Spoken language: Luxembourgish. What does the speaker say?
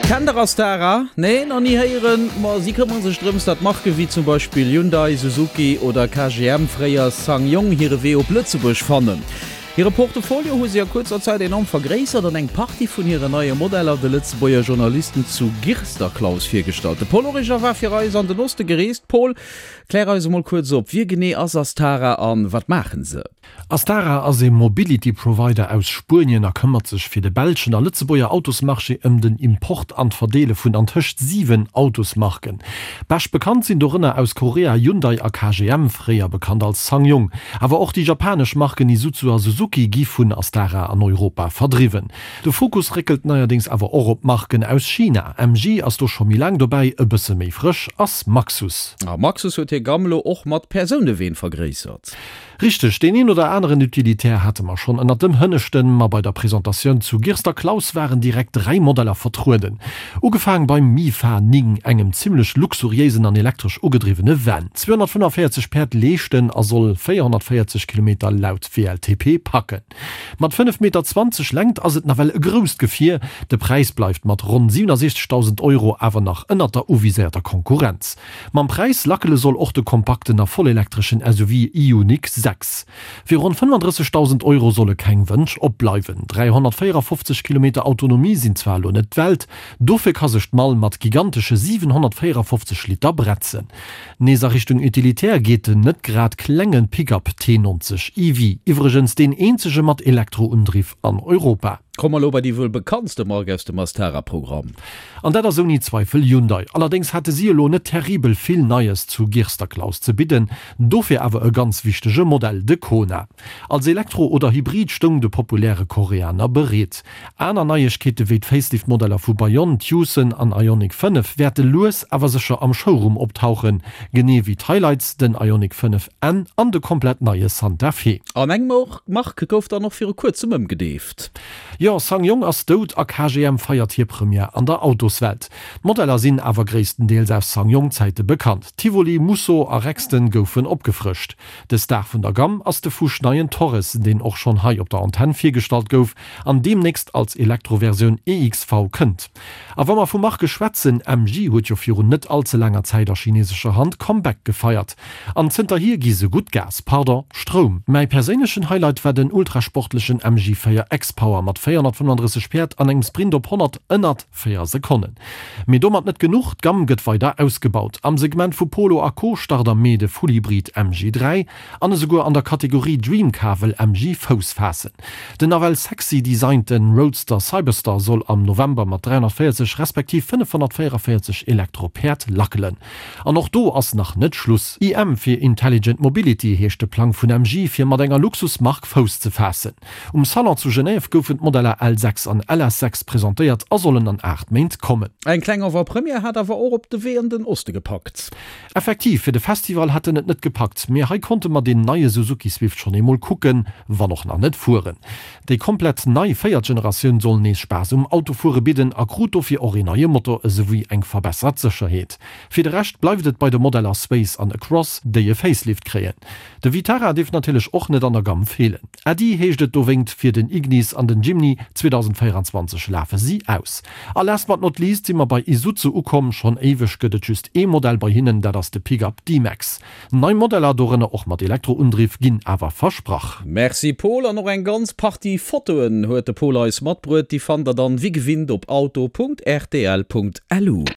Kennt der Astara? Nee, nach ni héieren? Ma si këmmere sech drëms, datt Marke wéi zum Beispill Hyundai, Suzuki oder KGM, fréier SsangYong, hire Wee op Lëtzebuerg fannen. Hire Portefolio hu si a kuerzer Zäit enorm vergréissert an eng Partie vun hiren neie Modeller de Lëtzebuerger Journalisten zu Girsterklaus virgestallt. De Paul Origer war fir eis an den Oste gereest. Paul, klär eis emol kuerz op, Wie genee ass Astara an wat maachen se? Astara ass ee Mobility Provider aus Spuenien a këmmert sech fir de belschen a Lëtzebuerger Autosmarché ëm den Import an d'Verdeele vun antëscht 7 Autosmarken. Bescht bekannt sinn dorënner aus Korea Hyundai a KGM, fréier bekannt als SsangYong. Awer och déi japanesch Marken Isuzu a Suzuki gi vun Astara an Europa verdriwwen. De Fokus réckelt neierdéngs awer och op d'Marken aus China. MG ass do scho méi laang dobäi, e bësse méi frësch ass Maxus. A Maxus huet hir Gamm elo och mat Persouneween vergréissert. Richteg, deen een oder aneren Utilitaire hate mer schonn ënnert dem Hënneschten, ma bei der Presentatioun zu Girster Klaus waren direkt 3 Modeller vertrueden. Ugefaang beim Mifa 9, engem zimmlech luxuriéisen an elektresch ugedriwwene Van. 245 Päerd leeschten a soll 440 Kilometer laut WLTP packen. Mat 5 Meter 20 Längt ass et nawell e grousst Gefier. De Präis bleift mat ronn 67.000 Euro awer nach ënnert der uviséierter Konkurrenz. Mam Präis lackele soll och de kompakten a vollelektreschen SUV Ioniq 6. Fir ronn 35.000 Euro solle keng Wënsch opbleiwen. 354 Kilometer Autonomie sinn zwar elo net d'Welt, dofir ka sech d'Mall mat gigantesche 754 Liter bretzen. Nees a Richtung Utilitär geet den net grad klenge Pickup T90 EV, iwwregens deen eenzege mat Elektroundriff an Europa. Komme mer elo bei déi wuel bekanntste Mark aus dem Astara-Programm. An dat ass ouni Zweifel Hyundai. Allerdéngs hate si elo net terribel vill Neies zu Girsterklaus ze bidden, dofir awer e ganz wichtege Modell, de Kona. Als Elektro oder Hybrid stoung de populäre Koreaner bereet. Aner Neiegkeete wéi d'Facelift-Modeller vu Bayon, Tucson an Ioniq 5 wäerte lues awer sécher am Showroom optauchen, genee wéi d'Highlights, den Ioniq 5 N an de komplett neie Santa Fe. An eng Mark gouf dann och viru kuerzem ëmgedeeft. Jo, SsangYong ass dout a KGM feiert hir Première an der Autoswelt. D'Modeller sinn awer gréisstendeels aus SsangYong-Zäite bekannt. Tivoli, Musso a Rexton goufen opgefrëscht. De Star vun der Gamm ass de fuschneien Torres, deen och schonn hei op der Antenn virgestallt gouf an deemnächst als Elektroversioun EXV kënnt. A wa mer vu Marke schwätzen, MG huet jo virun net all ze laanger Zäit a chinesescher Hand Comeback gefeiert. An zënterhier gi se gutt Gas, pardon, Stroum. Mäi perséinlechen Highlight war den ultrasportlechen MG 4 XPower mat 435 Päerd an engem Sprint op 100 ënnert 4 Sekonnen. Mee domat net genuch, d'Gamm gëtt weider ausgebaut. Am Segment vu Polo a Co start am Mee de Fullhybrid MG 3 an esouguer an der Kategorie Dream Car wëll MG Fouss faassen. Den nawell sexy designte Roadster Cyberster soll am November mat 340 respektiv 544 Elektro-Päerd lackelen. An och do ass nach net Schluss. IM fir Intelligent Mobility heescht de Plang vun MG fir mat enger Luxusmark Fouss ze faassen. Um Salon zu Genève goufen d'Modeller L6 an LS6 presentéiert a sollen an 8 Méint kommen. Eng kleng Avant-Première hat awer och op de Wee an den Oste gepackt. Effektiv, fir de Festival hätt en et net gepackt, mee hei konnte mer deen neie Suzuki Swift schonn eemol kucken, wann och nach net fueren. Déi komplett nei véiert Generatioun soll nees Spaass um Autofuere bidden a krut dofir och een neie Motor esouwéi eng verbessert Sécherheet. Fir de Rescht bleift et bei de Modeller Space an Across, déi e Facelift kréien. De Vitara dierf natierlech och net an der Gamm feelen. Äddi heescht et dowéingt fir den Ignis an den Jimny, 2024 lafe si aus. A last but not least si mer bei Isuzu ukomm. Schonn éiweg gëtt et just ee Modell bei hinnen, dat ass de Pickup D-Max. Nei Modeller, dorënner och mat Elektroundriff, ginn awer versprach. Merci Paul, an och eng ganz Partie Fotoen huet de Paul eis matbruet. Déi fannt der dann wéi gewinnt op auto.rtl.lu.